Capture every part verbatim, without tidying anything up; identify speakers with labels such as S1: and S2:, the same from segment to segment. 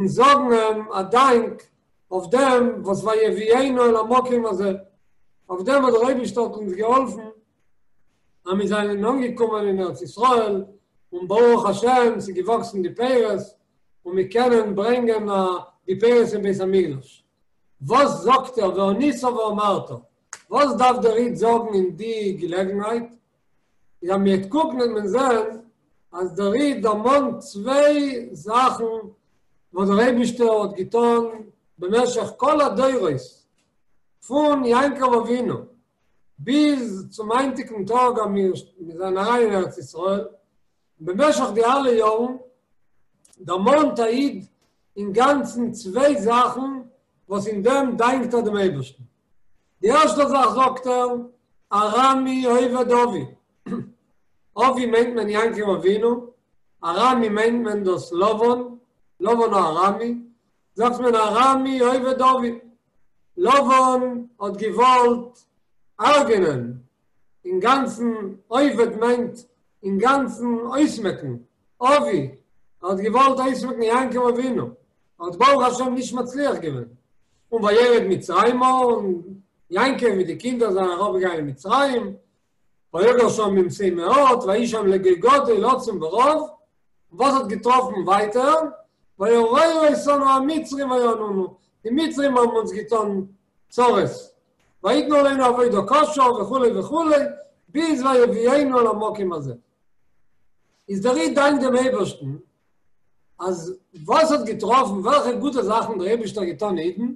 S1: און זאגן אים א דאנק אויף דעם וואס ויביאנו אל המקום הזה, אויף דעם וואס דער אייבישטער האט אונז געהאלפן אז מיר זענען אנגעקומען אין ארץ ישראל, און ברוך השם ס'איז געוואקסן די פירות, און מיר קענען ברענגען די פירות אין בית המקדש. וואס זאגט ער וענית ואמרת? וואס דארף דער איד זאגן אין די געלעגנהייט? איז אז מ'וועט קוקן וועט מען זען אז דער איד דערמאנט צוויי זאכן וואס דער אייבישטער האט געטון במשך כל הדורות פון יעקב אבינו ביז צום היינטיגן טאג אז מיר זענען אריין אין ארץ ישראל, במשך די אלע יארן דערמאנט א איד אינגאנצן צוויי זאכן וואס אין דעם דאנקט ער דעם אייבערשטן. די ערשטע זאך זאגט ער, ארמי אובד אבי. אבי מיינט מען יעקב אבינו, ארמי מיינט מען דאס לבן, לבן הארמי, זאגט מען ארמי אובד אבי. לבן האט געוואלט הרג'נען, אינגאנצן, אובד מיינט אינגאנצן אויסמעקן, אבי, ער האט געוואלט אויסמעקן יעקב אבינו, ער האט ברוך השם נישט מצליח געווען, און וירד מצרימה, און יעקב מיט די קינדער זענען אראפגעגאנגען אין מצרים, ויגר שם במתי מעט, ויהי שם לגוי גדול עצום ורב, וואס האט געטראפן ווייטער? וירעו אותנו המצרים ויענונו, די מצרים האבן אונז געטון צרות, ויתנו עלינו עבודה קשה וכו' וכו', ביז ויביאנו אל המקום הזה. איז דער איד דאנקט דעם אייבערשטן אז וואס האט געטראפן, וועלכע גוטע זאכן דער אייבערשטער האט געטון אידן,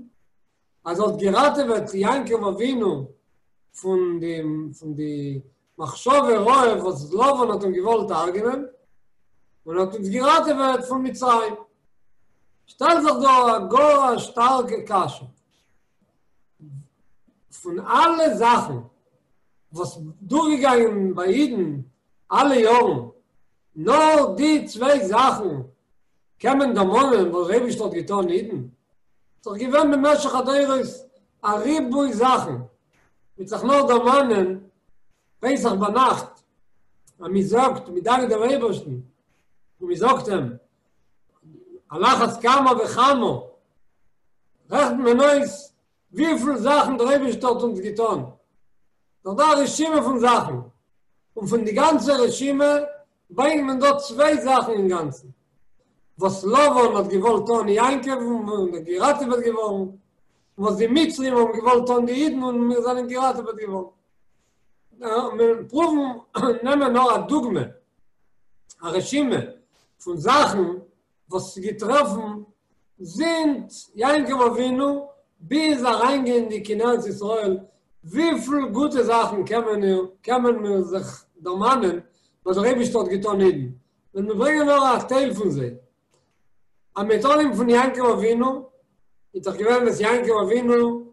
S1: אז ער האט געראטעוועט יעקב אבינו פון די פון די מחשבה רעה וואס לבן האט אים געוואלט הרג'נען, און האט אונז געראטעוועט פון מצרים. שטעלט זיך דא א גאר א שטארקע קשיא. פון אלע זאכן וואס דורכגעגאנגען ביי אידן אלע יארן, נאר די צוויי זאכן קען מען דערמאנען וואס דער אייבערשטער האט געטאן אידן? ס'איז דאך געווען במשך הדורות א ריבוי זאכן, מ'וועט זיך נאר דערמאנען פסח ביינאכט אז מ'זאגט, מ'דאנקט דעם אייבערשטן און מ'זאגט אים על אחת כמה וכמה, רעכנט מען אויס וויפיל זאכן דער אייבערשטער האט אונז געטאן, דאך דא א רשימה פון זאכן, און פון די גאנצע רשימה ברענגט מען דא צוויי זאכן אינגאנצן, וואס לבן האט געוואלט טון יעקב און איז געראטעוועט געווארן, און וואס די מצרים האבן געוואלט טון די אידן און מיר זענען געראטעוועט געווארן. מיר פרואוון נעמען נאר א דוגמא, א רשימה פון זאכן וואס איז געטראפן זינט יעקב אבינו ביז אריינגייענדיג אין ארץ ישראל, וויפיל גוטע זאכן קען מען קען מען מיר זיך דערמאנען וואס דער אייבערשטער האט געטאן אידן, ווען מיר ברענגען נאר א טייל פון זיי. אז מ'וועט אנהייבן פון יעקב אבינו, איז דאך געווען וואס יעקב אבינו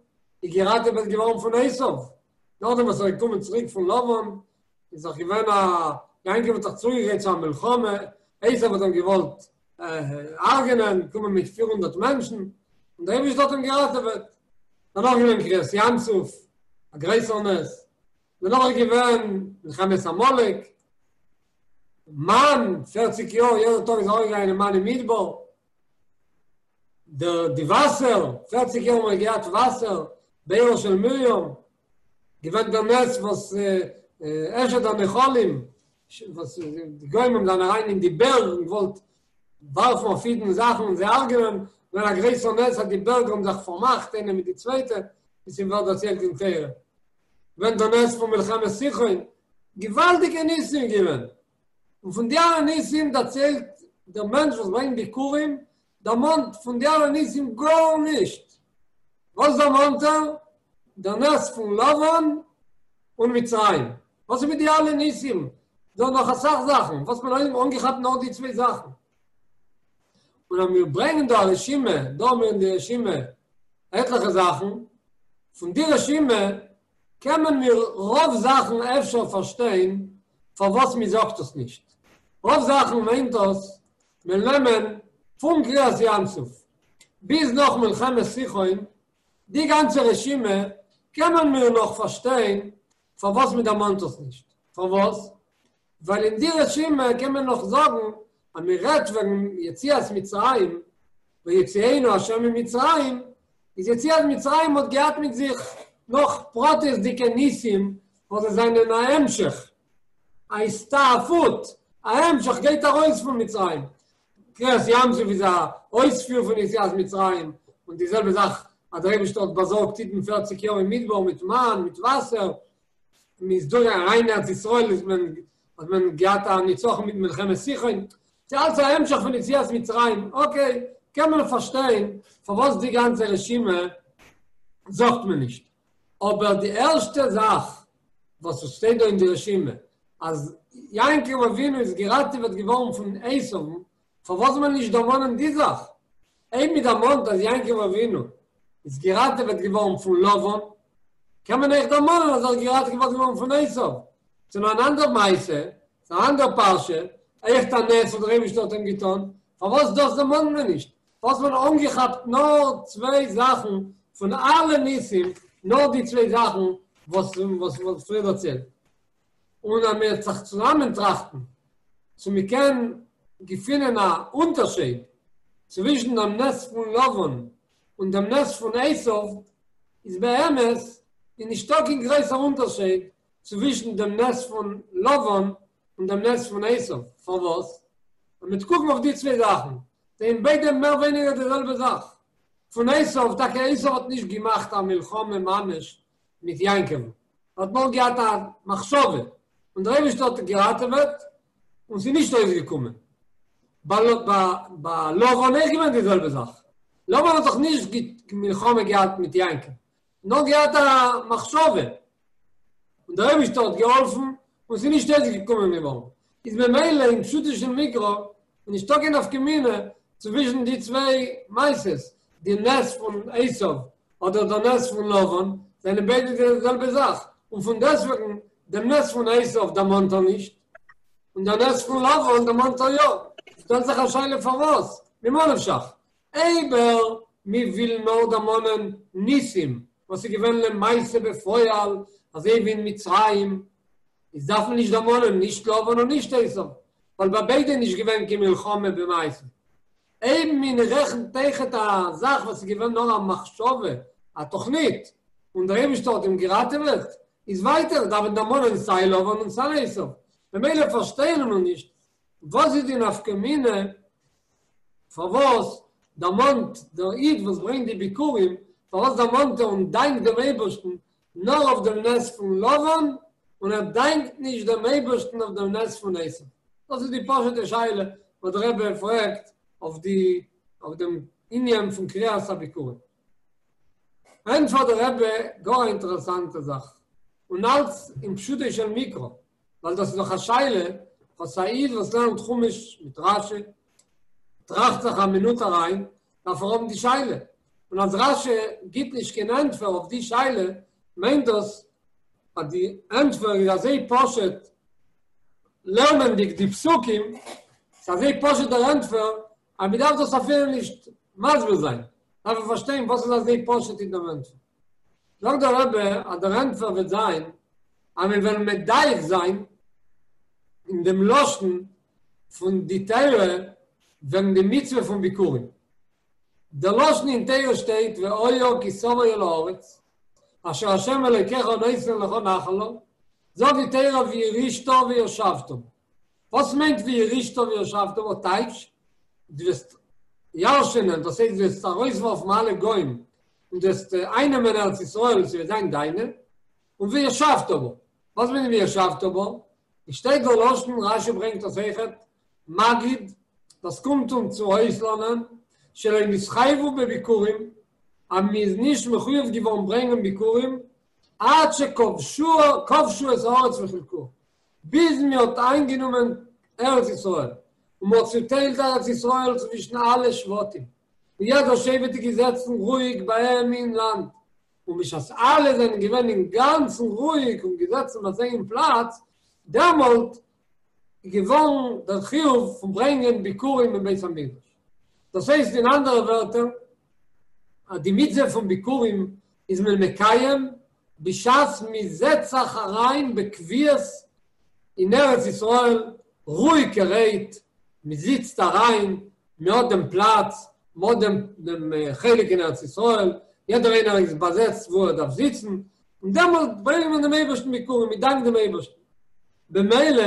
S1: איז געראטעוועט געווארן פון עשיו, נאכדעם וואס ער איז געקומען צוריק פון לבן, איז דאך געווען א, יעקב האט זיך צוגעגרייט צו א מלחמה, עשיו האט אים געוואלט הרג'נען, קומען מיט פיר הונדערט מענטשן, און דער אייבערשטער האט אים געראטעוועט. דערנאך איז געווען קריעת ים סוף, א גרויסער נס. דערנאך איז געווען מלחמת עמלק, מן, פערציג יאר, יעדער טאג איז אראפגעגאנגען מן אין מדבר. דער די וואסער, פערציג יאר האבן מיר געהאט וואסער, בארה של מרים, געווען דער נס וואס אשד הנחלים, וואס די גוים האבן זענען אריין אין די בערג און געוואלט ווארפן אויף אידן זאכן און זיי הרג'נען, געווען א גרויסער נס אז די בערג האבן זיך פארמאכט איינע מיט די צווייטע, ווי ס'ווערט דערציילט אין תורה. געווען דער נס פון מלחמת סיחון, געוואלדיגע ניסים געווען. און פון די אלע ניסים דערציילט דער מענטש וואס ברענגט ביכורים, דערמאנט פון די אלע ניסים גארנישט. וואס דערמאנט ער? דער נס פון לבן און מצרים. וואס איז מיט די אלע ניסים? דא נאך אסאך זאכן, וואס האט מען אנגעכאפט נאר די צוויי זאכן? און אז מיר ברענגען דא א רשימה, דא האבן מיר אין די רשימה עטליכע זאכן, פון די רשימה קען מען מיר רוב זאכן אפשר פארשטיין פארוואס מען זאגט עס נישט. רוב זאכן מיינט דאס מיר נעמען פון קריעת ים סוף ביז נאך מלחמת סיחון, די גאנצע רשימה קען מען מיר נאך פארשטיין פארוואס מען דערמאנט עס נישט. פארוואס? ווייל אין די רשימה קען מען נאך זאגן אז מען רעדט וועגן יציאת מצרים, ויוציאנו השם ממצרים, איז יציאת מצרים האט געהאט מיט זיך נאך פרטיות'דיגע ניסים וואס זיי זענען א המשך, א הסתעפות, א המשך גייט ארויס פון מצרים. קריעת ים סוף איז א אויספיר פון יציאת מצרים, און די זעלבע זאך אז דער אייבערשטער האט באזארגט אידן פערציג יאר אין מדבר מיט מן, מיט וואסער, מען איז דורך אריין אין ארץ ישראל איז מען האט מען געהאט א ניצחון מיט מלחמת סיחון, ס'איז אלץ א המשך פון יציאת מצרים, אקעי, קען מען פארשטיין פארוואס די גאנצע רשימה זאגט מען נישט, אבער די ערשטע זאך וואס עס שטייט דא אין די רשימה אז יעקב אבינו איז געראטעוועט געווארן פון עשו'ן, פארוואס זאל מען נישט דערמאנען די זאך? אויב מען דערמאנט אז יעקב אבינו איז געראטעוועט געווארן פון לבן, קען מען אויך דערמאנען אז ער איז געראטעוועט געווארן פון עשו. ס'איז נאר אן אנדער מעשה, ס'איז אן אנדער פרשה, אויכעט א נס וואס דער אייבערשטער האט אים געטון, פארוואס דאס דערמאנט מען נישט? פארוואס האט מען אנגעכאפט נאר צוויי זאכן פון אלע ניסים, נאר די צוויי זאכן וואס וואס מ'האט פריער דערציילט? און אז מ'וועט זיך צוזאמען טראכטן צו מ'קען געפינען א אונטערשייד צווישן דעם נס פון לבן און דעם נס פון עשו, איז באמת איז נישטא קיין גרויסער אונטערשייד צווישן דעם נס פון לבן און דעם נס פון עשו, פארוואס? ווען מ'וועט קוקן אויף די צוויי זאכן, זענען ביידע מער ווייניגער די זעלבע זאך. פון עשו, טאקע עשו האט נישט געמאכט א מלחמה ממש מיט יעקב'ן, ער האט נאר געהאט א מחשבה, און דער אייבערשטער האט געראטעוועט, און ס'איז נישט אויסגעקומען. ביי לבן אויך געווען די זעלבע זאך, לבן האט דאך נישט מלחמה געהאט מיט יעקב, נאר געהאט א מחשבה, און דער אייבערשטער האט געהאלפן און ס'איז נישט אויסגעקומען געווארן, איז ממילא אין פשוטו של מקרא איז נישטא קיין נפקא מינה צווישן די צוויי מעשות, די נס פון עשיו אדער דער נס פון לבן זענען ביידע די זעלבע זאך, און פון דעסוועגן דעם נס פון עשיו דערמאנט ער נישט, און דער נס פון לבן דערמאנט ער יא, שטעלט זיך א שאלה פארוואס? ממה נפשך? אויב מיר ווילן נאר דערמאנען ניסים וואס איז געווען למעשה בפועל אזוי ווי אין מצרים, איז דארף מען נישט דערמאנען נישט לבן און נישט עשיו, ווייל ביי ביידע איז נישט געווען קיין מלחמה במעשה. אויב מען רעכנט אויכעט א זאך וואס איז געווען נאר א מחשבה, א תוכנית, און דער אייבערשטער האט אים געראטעוועט, איז ווייטער דארף מען דערמאנען סיי לבן און סיי עשיו. ממילא פארשטייען מיר נישט וואס איז די נפקא מינה, פארוואס דערמאנט דער איד וואס ברענגט די ביכורים, פארוואס דערמאנט ער און דאנקט דעם אייבערשטן נאר אויף דעם נס פון לבן, און ער דאנקט נישט דעם אייבערשטן אויף דעם נס פון עשו? דאס איז די פשוט'ע שאלה וואס דער רבי פרעגט אויף די אויף דעם ענין פון קריאת הביכורים. ענטפערט דער רבי גאר א אינטערעסאנטע זאך, און אלץ אין פשוטו של מקרא, ווייל דאס איז דאך א שאלה וואס א איד וואס לערנט חומש מיט רשי טראכט זיך א מינוט אריין, דארף ער האבן די שאלה, און אז רשי גיבט נישט קיין ענטפער אויף די שאלה, מיינט דאס אז די ענטפער איז אזוי פשוט, לערנענדיג די פסוקים, ס'איז אזוי פשוט דער ענטפער, אז מ'דארף דאס אפילו נישט מסביר זיין, דארף מען פארשטיין וואס איז אזוי פשוט אין דעם ענטפער. זאגט דער רבי אז דער ענטפער וועט זיין אז מיר וועלן מדייק זיין אין דעם לשון פון די תורה וועגן די מצוה פון ביכורים. דער לשון אין תורה שטייט והיה כי תבוא אל הארץ אשר ה' אלוקיך נותן לך נחלה, זאגט די תורה וירשתה וישבת בה. וואס מיינט וירשתה וישבת בה? טייטש, דו וועסט ירש'ענען, דאס הייסט דו וועסט ארויסווארפן אלע גוים און דו וועסט אייננעמען ארץ ישראל, ס'וועט זיין דיינע, און וישבת בה. וואס מיינט וישבת בה? עס שטייט דער לשון, רשי ברענגט דאס אויכעט, מגיד, דאס קומט אונז צו אויסלערנען, שלא נתחייבו בביכורים, אז מען איז נישט מחויב געווארן ברענגען ביכורים, עד שכבשו את הארץ וחילקוה, ביז מען האט איינגענומען ארץ ישראל, און מען האט צוטיילט ארץ ישראל צווישן אלע שבטים, און יעדער שבט איז געזעצן רואיג ביי אים אין לאנד, און בשעת אלע זענען געווען אינגאנצן רואיג און געזעצן ביי זיי אין פלאץ, דעמאלט איז געווארן דער חיוב פון ברענגען ביכורים אין בית המקדש. דאס הייסט אין אנדערע ווערטער, אז די מצוה פון ביכורים איז מען מקיים בשעת מען זעצט זיך אריין בקביעות אין ארץ ישראל רואיגערהייט, מען זיצט אריין, מען האט דעם פלאץ, מ'האט דעם דעם חלק אין ארץ ישראל, יעדער איינער איז באזעצט וואו ער דארף זיצן, און דעמאלט ברענגט מען דעם אייבערשטן ביכורים, מען דאנקט דעם אייבערשטן. במילא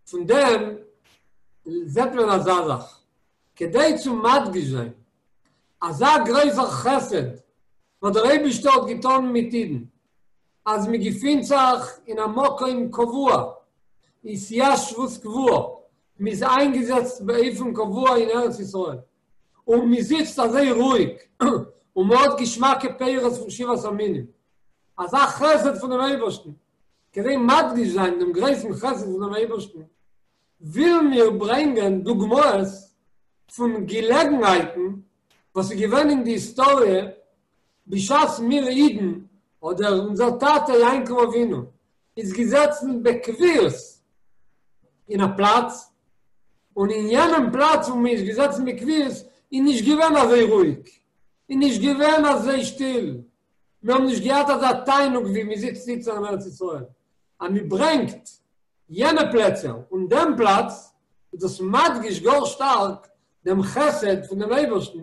S1: פון דעם זעט מען אזא זאך, כדי צו מדגיש זיין אזא גרויסער חסד וואס דער אייבערשטער האט געטאן מיט אידן, אז מען געפינט זיך אין א מקום קבוע, התיישבות קבועה, מען איז איינגעזעצט באופן קבוע אין ארץ ישראל, און מען זיצט אזוי רואיג, און מען האט געשמאקע פירות פון שבעת המינים, אזא חסד פונעם אייבערשטן, כדי מדגיש זיין דעם גרויסן חסד פונעם אייבערשטן, ווילן מיר ברענגען דוגמאות פון געלעגנהייטן וואס איז געווען אין די היסטאריע בשעת מיר אידן, אדער אונזער טאטע יעקב אבינו, איז געזעצן בקביעות אין א פלאץ, און אין יענעם פלאץ וואו מען איז געזעצן בקביעות איז נישט געווען אזוי רואיג, איז נישט געווען אזוי שטיל, מיר האבן נישט געהאט אזא תענוג ווי מען זיצט איצטער אין ארץ ישראל. אז מען ברענגט יענע פלעצער און דעם פלאץ, איז דאס מדגיש גאר שטארק דעם חסד פון דעם אייבערשטן,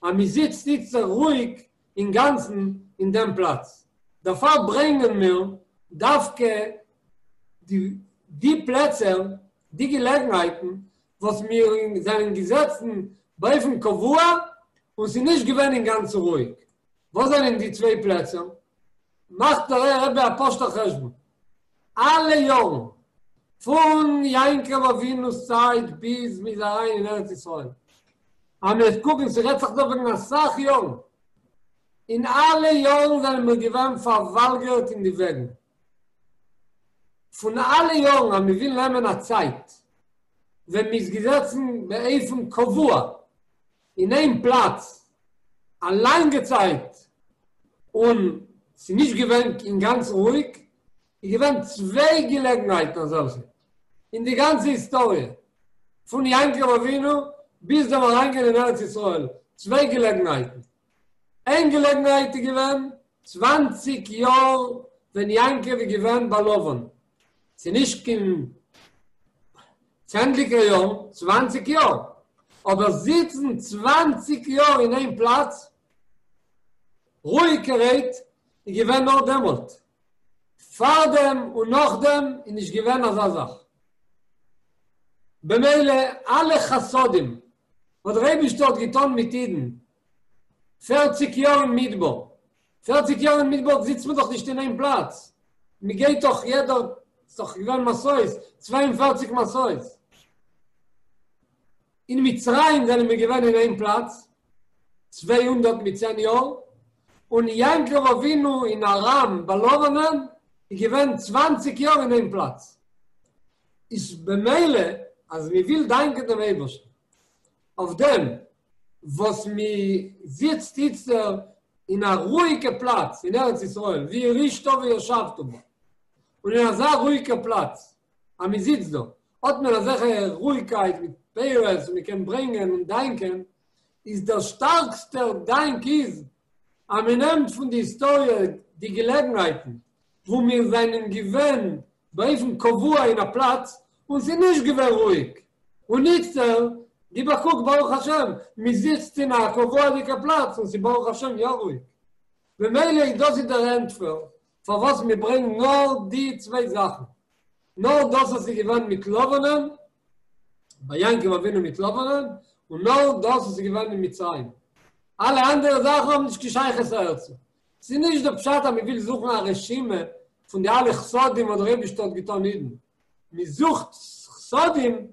S1: אז מען זיצט איצטער רואיג אינגאנצן אין דעם פלאץ. דערפאר ברענגען מיר דווקא די די פלעצער, די געלעגנהייטן וואס מיר זענען געזעצן באופן קבוע און ס'איז נישט געווען אינגאנצן רואיג. וואס זענען די צוויי פלעצער? מאכט דער רבי א פשוט'ער חשבון. אלע יארן, פון יעקב אבינו'ס צייט ביז מ'איז אריין אין ארץ ישראל, אז מ'וועט קוקן, ס'רעדט זיך דא וועגן אסאך יארן, אין אלע יארן זענען מיר געווען פארוואלגערט אין די וועגן. פון אלע יארן אז מ'וויל נעמען א צייט ווען מ'איז געזעצן באופן קבוע אין איין פלאץ א לאנגע צייט און ס'איז נישט געווען אינגאנצן רואיג, איז געווען צוויי געלעגנהייטן אזעלכע אין די גאנצע היסטאריע פון יעקב אבינו ביז דעם אריינגיין אין ארץ ישראל, צוויי געלעגנהייטן. איין געלעגנהייט איז געווען צוואַנציק יאר ווען יעקב איז געווען ביי לבן, ס'איז נישט קיין צענדליגער יארן, צוואַנציק יאר, אבער זיצן צוואַנציק יאר אין איין פלאץ רואיגערהייט איז געווען נאר דעמאלט, פארדעם און נאכדעם איז נישט געווען אזא זאך. במילא אלע חסדים וואס דער אייבישטער האט געטון מיט אידן פערציג יאר אין מדבר, פערציג יאר אין מדבר זיצט מען דאך נישט אין איין פלאץ, מען גייט דאך יעדער, ס'איז דאך געווען מסעות, צוויי און פֿערציק מסעות. אין מצרים זענען מיר געווען אין איין פלאץ צוויי הונדערט מיט צען יאר, און יעקב אבינו אין ארם ביי לבנ'ען איז געווען צוואַנציק יאר אין איין פלאץ. איז במילא אז מען וויל דאנקען דעם אייבערשטן אויף דעם וואס מען זיצט איצטער אין א רואיגע פלאץ אין ארץ ישראל, וירשתה וישבת בה, און אין אזא רואיגע פלאץ אז מען זיצט דא, האט מען אזעלכע רואיגקייט מיט פירות און מען קען ברענגען און דאנקען, איז דער שטארקסטער דאנק איז אז מען נעמט פון די היסטאריע די געלעגנהייטן וואו מיר זענען געווען באופן קבוע אין א פלאץ און ס'איז נישט געווען רואיג, און איצטער גיב א קוק ברוך השם מען זיצט אין א קבוע'דיגע פלאץ און ס'איז ברוך השם יא רואיג. במילא איז דאס איז דער ענטפער פארוואס מען ברענגט נאר די צוויי זאכן, נאר דאס וואס איז געווען מיט לבנ'ען, ביי יעקב אבינו מיט לבנ'ען, און נאר דאס וואס איז געווען אין מצרים. אלע אנדערע זאכן האבן נישט קיין שייכות אהערצו. ס'איז נישט דער פשט אז מען וויל זוכן א רשימה פון די אלע חסדים וואס דער אייבערשטער האט געטאן אידן. מען זוכט חסדים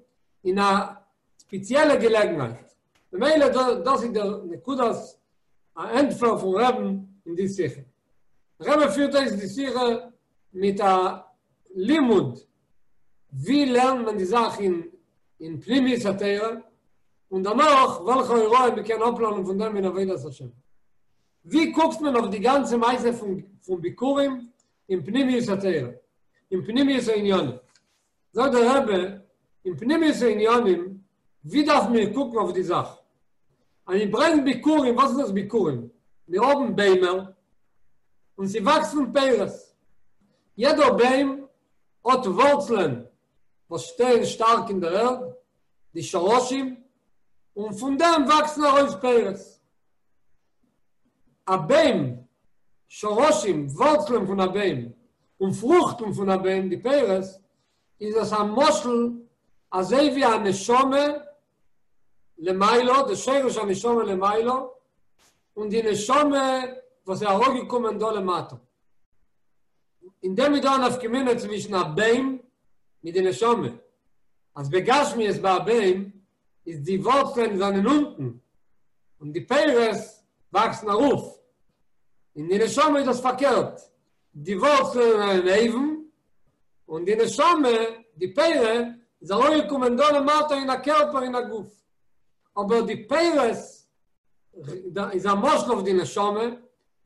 S1: אין א ספעציעלע געלעגנהייט. במילא דאס איז דער נקודת הענטפער פון רבי'ן אין די שיחה. דער רבי פירט אויס די שיחה מיט א לימוד ווי לערנט מען די זאך אין אין פנימיות התורה, און דערנאך וועלכע הוראה מען קען אפלערנען פון דעם אין עבודת השם. ווי קוקט מען אויף די גאנצע מעשה פון פון ביכורים אין פנימיות התורה, אין פנימיות העניינים? זאגט דער רבי, אין פנימיות העניינים, ווי דארף מיר קוקן אויף די זאך? אז מען ברענגט ביכורים, וואס איז דאס ביכורים? מיר האבן ביימער, און ס'וואקסן פירות. יעדער ביים האט ווארצלען וואס שטייען שטארק אין דער ערד, די שרשים, און פון דעם וואקסן ארויס פירות. א ביים, שורשים, ווארצלען פון א ביים, און פרוכטן פון א ביים, די פירות, איז דאס א משל אזוי ווי א נשמה למעלה, די שורש הנשמה למעלה, און די נשמה וואס איז אראפגעקומען דא למטה. אין דעם איז דא א נפקא מינה צווישן א ביים מיט די נשמה. אז בגשמיות ביי א ביים איז די ווארצלען זענען אונטן און די פירות וואקסן ארויף. אין די נשמה איז דאס פארקערט, די ווארצלען זענען אויבן און די נשמה, די פירה, איז אראפגעקומען דא למטה אין א קערפער אין א גוף. אבער די פירות איז א משל אויף די נשמה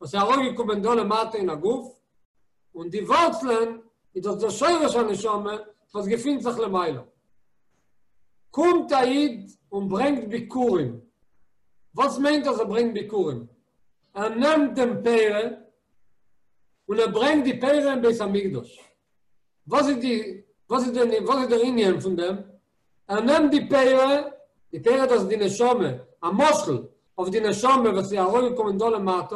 S1: וואס איז אראפגעקומען דא למטה אין א גוף, און די ווארצלען איז דאס דער שורש הנשמה וואס געפינט זיך למעלה. קומט א איד און ברענגט ביכורים. וואס מיינט אז ער ברענגט ביכורים? ער נעמט דעם פירה און ער ברענגט די פירה אין בית המקדש. וואס איז די וואס איז די וואס איז דער ענין פון דעם? ער נעמט די פירה, די פירה דאס איז די נשמה, א משל אויף די נשמה וואס איז אראפגעקומען דא למטה,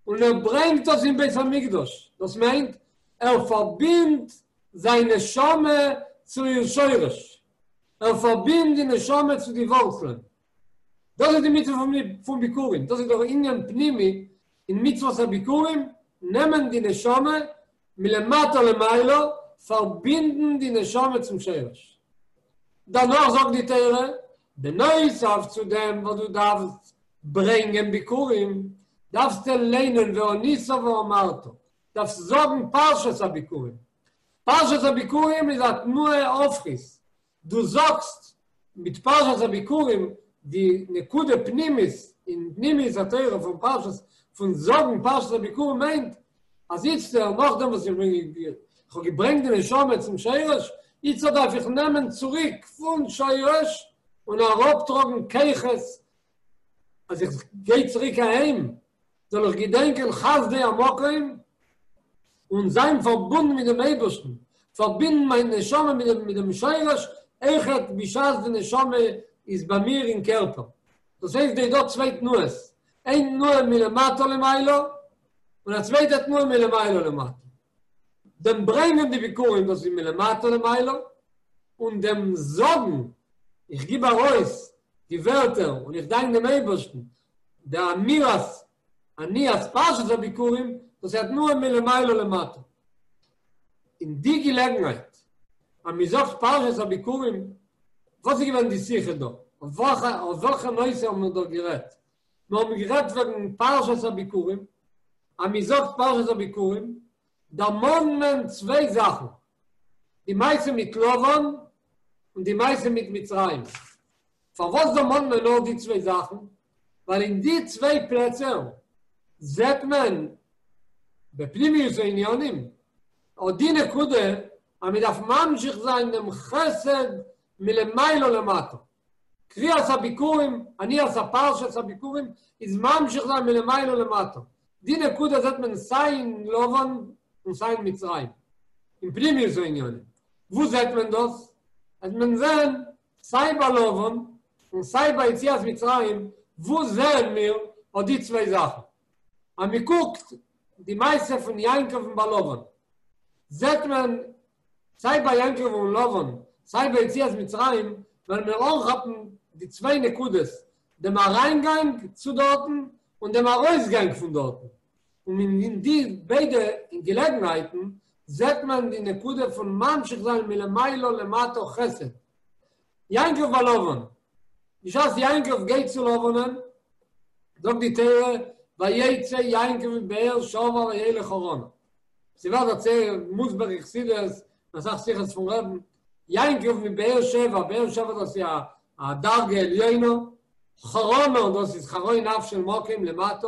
S1: און ער ברענגט דאס אין בית המקדש. דאס מיינט, ער פארבינדט זיין נשמה צו איר שורש. ער פארבינדט די נשמה צו די ווארצלען. דאס איז די מצוה פון ביכורים, דאס איז דער ענין פנימי אין מצוות הביכורים, נעמען די נשמה מלמטה למעלה, פארבינדן די נשמה צום שורש. דערנאך זאגט די תורה, בנוסף צו דעם וואס דו דארפסט ברענגען ביכורים, דארפסטו ליינען וענית ואמרת, דארפסט זאגן פרשת הביכורים. פרשת הביכורים איז א תנועה הופכית, דו זאגסט מיט פרשת הביכורים די נקודה פנימית אין פנימיות התורה פון פרשת, פון זאגן פרשת הביכורים מיינט אז איצטער נאכדעם וואס איך בין איך האב געברענגט די נשמה צום שורש, איצטער דארף איך נעמען צוריק פון שורש און אראפטראגן כוחות אז איך גיי צוריק אהיים זאל איך געדענקען חסדי המקום און זיין פארבונדן מיט דעם אייבערשטן, פארבינדן מיין נשמה מיט דעם מיט דעם שורש, אויכעט בשעת די נשמה איז ביי מיר אין קערפער. דאס הייסט ס'איז דא צוויי תנועות, איין תנועה מלמטה למעלה, און א צווייטע תנועה מלמעלה למטה. דעם ברענגען די ביכורים דאס איז מלמטה למעלה, און דעם זאגן, איך גיב ארויס די ווערטער און איך דאנק דעם אייבערשטן, די אמירת עניית פרשת הביכורים, דאס איז א תנועה מלמעלה למטה. אין די געלעגנהייט אז מען זאגט פרשת הביכורים, וואס איז געווען די שיחה דא? אויף וועלכע אויף וועלכע נושא האבן מיר דא גערעדט? מיר האבן גערעדט וועגן פרשת הביכורים, אז מען זאגט פרשת הביכורים דערמאנט מען צוויי זאכן, די מעשה מיט לבן און די מעשה מיט מצרים. פארוואס דערמאנט מען נאר די צוויי זאכן? ווייל אין די צוויי פלעצער זעט מען בפנימיות העניינים אט די נקודה אז מען דארף ממשיך זיין דעם חסד מלמעלה למטה. קריאת הביכורים, עניית הפרשת הביכורים, איז ממשיך זיין מלמעלה למטה. די נקודה זעט מען סיי אין לבן און סיי אין מצרים, אין פנימיות העניינים. וואו זעט מען דאס? וועט מען זען סיי ביי לבן און סיי ביי יציאת מצרים, וואו זעען מיר אט די צוויי זאכן? אז מען קוקט די מעשה פון יעקב'ן ביי לבן, זעט מען סיי ביי יעקב און לבן, סיי ביי יציאת מצרים, וועלן מיר אנכאפן די צוויי נקודות, דעם אריינגאנג צו דארטן און דעם ארויסגאנג פון דארטן. און אין די ביידע געלעגנהייטן זעט מען די נקודה פון ממשיך זיין מלמעלה למטה חסד. יעקב ביי לבן, בשעת יעקב גייט צו לבנ'ען, זאגט די תורה, ויצא יעקב מבאר שבע וילך חרנה. ס'ווערט דערציילט מוסבר אין חסידות, אין אסאך שיחות פון רבי'ן, יעקב מבאר שבע, באר שבע דאס איז א דרגה עליונה, חרנה דאס איז חרון אף של מקום למטה,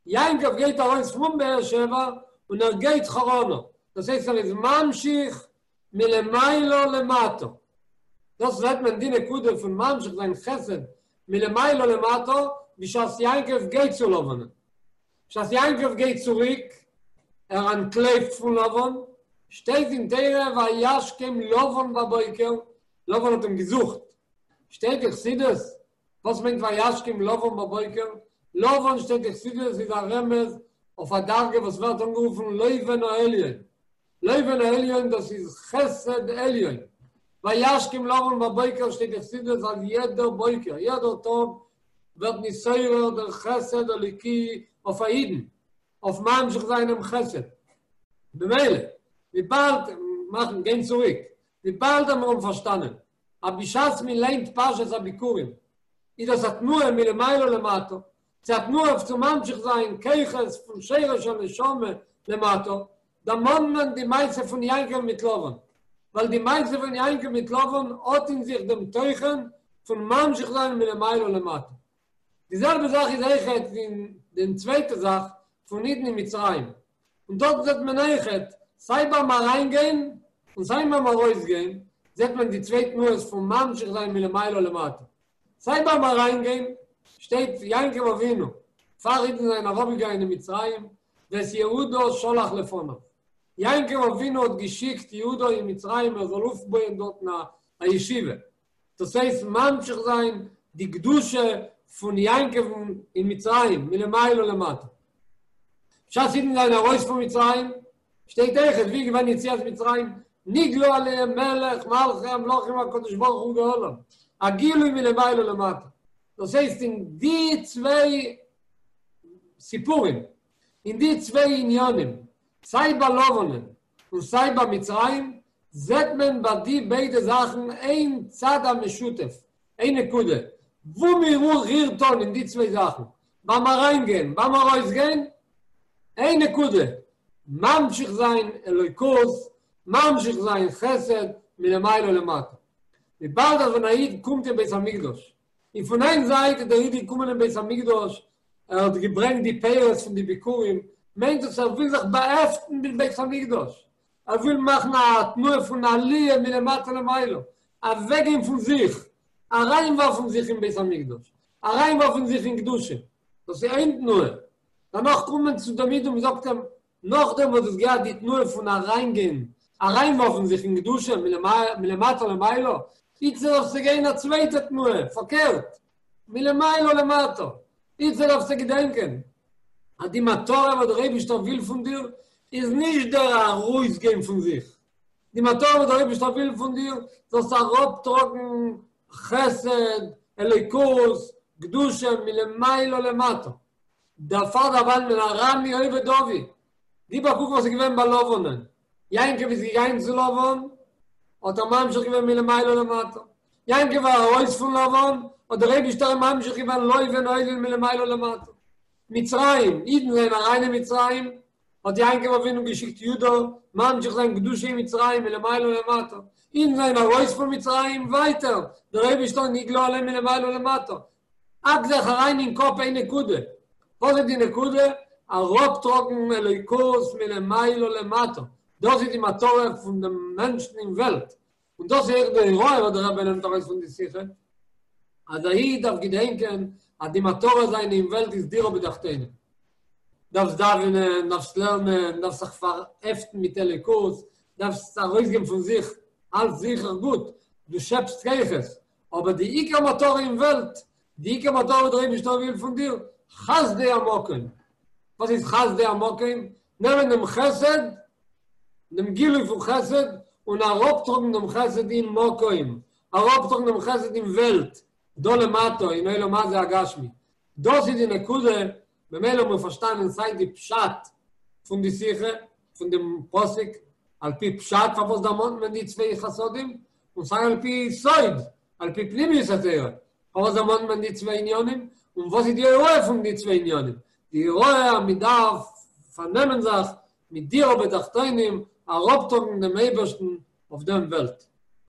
S1: יעקב גייט ארויס פון באר שבע און ער גייט חרנה, דאס הייסט ער איז ממשיך מלמעלה למטה, דאס זעט מען די נקודה פון ממשיך זיין חסד מלמעלה למטה בשעת יעקב גייט צו לבנ'ן. בשעת יעקב גייט צוריק, ער אנטלויפט פון לבן, שטייט אין תורה וישכם לבן בבוקר, לבן האט אים געזוכט, שטייט אין חסידות וואס מיינט וישכם לבן בבוקר? לבן שטייט אין חסידות איז א רמז אויף א דרגה וואס ווערט אנגערופן לובן העליון. לובן העליון דאס איז חסד עליון. וישכם לבן בבוקר שטייט אין חסידות אז יעדער בוקר, יעדער טאג ווערט נתעורר דער חסד אלוקי אויף א אידן, אויף ממשיך זיין דעם חסד. במילא, וויבאלד, מאכן, גיין צוריק, וויבאלד מיר האבן פארשטאנען, אז בשעת מען ליינט פרשת הביכורים, איז דאס א תנועה מלמעלה למטה, ס'איז א תנועה אויף צו ממשיך זיין כוחות פון שורש הנשמה למטה, דערמאנט מען די מעשה פון יעקב מיט לבן, ווייל די מעשה פון יעקב מיט לבן האט אין זיך דעם תוכן פון ממשיך זיין מלמעלה למטה. די זעלבע זאך איז אויכעט אין דעם צווייטע זאך פון אידן אין מצרים, און דארט זעט מען אויכעט, סיי ביים אריינגיין און סיי ביים ארויסגיין, זעט מען די צוויי תנועות פון ממשיך זיין מלמעלה למטה. סיי ביים אריינגיין, שטייט יעקב אבינו, פאר אידן זענען אראפגעגאנגען אין מצרים, ואת יהודה שלח לפניו. יעקב אבינו האט געשיקט יהודה אין מצרים ער זאל אויפבויען דארטן א ישיבה. דאס הייסט ממשיך זיין די קדושה פון יעקב אין מצרים, מלמעלה למטה. בשעת אידן זענען ארויס פון מצרים, שטייט אויכעט ווי איז געווען יציאת מצרים, נגלה עליהם מלך מלכי המלכים הקדוש ברוך הוא גאלם, א גילוי מלמעלה למטה. דאס הייסט אין די צוויי סיפורים, אין די צוויי עניינים, סיי ביי לבנ'ן און סיי ביי מצרים, זעט מען ביי די ביידע זאכן איין צד המשותף, איין נקודה, וואו מען רירט אן אין די צוויי זאכן, ביים אריינגיין, ביים ארויסגיין, איין נקודה, ממשיך זיין אלוקות, ממשיך זיין חסד מלמעלה למטה. וויבאלד אז ווען א איד קומט אין בית המקדש, און פון איין זייט איז דער איד געקומען אין בית המקדש, ער האט געברענגט די פירות פון די ביכורים, מיינט דאס ער וויל זיך באהעפטן מיט בית המקדש, ער וויל מאכן א תנועה פון עליה מלמטה למעלה, אוועקגיין פון זיך, אריינווארפן זיך אין בית המקדש, אריינווארפן זיך אין קדושה, דאס איז איין תנועה. דערנאך קומט מען צו דעם איד און מען זאגט אים, נאכדעם וואס דו האסט געהאט די תנועה פון אריינגיין, אריינווארפן זיך אין קדושה מלמטה למעלה, איצטער דארפסטו גיין א צווייטע תנועה, פארקערט, מלמעלה למטה. איצטער דארפסטו געדענקען אז די מטרה וואס דער אייבישטער וויל פון דיר איז נישט דער ארויסגיין פון זיך, די מטרה וואס דער אייבישטער וויל פון דיר, זאלסט אראפטראגן חסד, אלוקות, קדושה מלמעלה למטה. דערפאר דערמאנט מען ארמי אובד אבי. גיב א קוק וואס איז געווען ביי לבנ'ן. יעקב איז געגאנגען צו לבן, האט ער ממשיך געווען מלמעלה למטה. יעקב איז ארויס פון לבן, האט דער אייבישטער אים ממשיך געווען לובן העליון מלמעלה למטה. מצרים, אידן זענען אריין אין מצרים, האט יעקב אבינו געשיקט יהודה ממשיך זיין קדושה אין מצרים מלמעלה למטה. אידן זענען ארויס פון מצרים, ווייטער, דער אייבישטער נגלה עליהם מלמעלה למטה. האק זיך אריין אין קאפ איין נקודה. וואס איז די נקודה? אראפטראגן אלוקות מלמעלה למטה. דאס איז די מטרה פון דעם מענטשן אין וועלט. און דאס איז אויך די הוראה וואס דער רבי נעמט ארויס פון די שיחה, אז א איד דארף געדענקען אז די מטרה זיינע אין וועלט איז דירה בתחתונים. דארפסט דאווענען, דארפסט לערנען, דארפסט זיך פארהעפטן מיט אלוקות, דארפסט ארויסגיין פון זיך, אלץ זיכער גוט, דו שעפסט כוחות, אבער די עיקר מטרה אין וועלט, די עיקר מטרה וואס דער אייבערשטער וויל פון דיר, חסדי המקום. וואס איז חסדי המקום? נעמען דעם חסד, דעם גילוי פון חסד, און אראפטראגן דעם חסד אין מקום, אראפטראגן דעם חסד אין וועלט, דא למטה, אין עולם הזה הגשמי. דאס איז די נקודה, במילא האבן מיר פארשטאנען סיי די פשט פון די שיחה, פון דעם פסוק, על פי פשט פארוואס דערמאנט מען די צוויי חסדים, און סיי על פי סוד, על פי פנימיות התורה, פארוואס דערמאנט מען די צוויי עניינים, און וואס איז די הוראה פון די צוויי עניינים? די הוראה אז מען דארף פארנעמען זיך מיט דירה בתחתונים, אראפטראגן דעם אייבערשטן אויף דעם וועלט.